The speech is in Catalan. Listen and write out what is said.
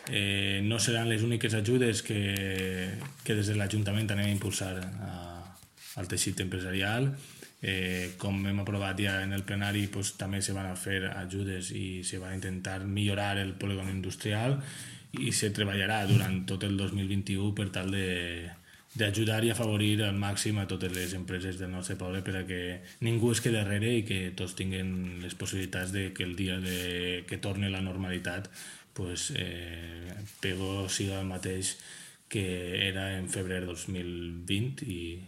No seran les úniques ajudes que des de l'Ajuntament anem a impulsar al teixit empresarial. Com hem aprovat ja en el plenari, doncs, també se van a fer ajudes i se va a intentar millorar el polígon industrial i se treballarà durant tot el 2021 per tal d'ajudar i afavorir al màxim a totes les empreses del nostre poble per a que ningú es quedi darrere i que tots tinguin les possibilitats de que el dia que torni la normalitat pues, Pego siga el mateix que era en febrer 2020 i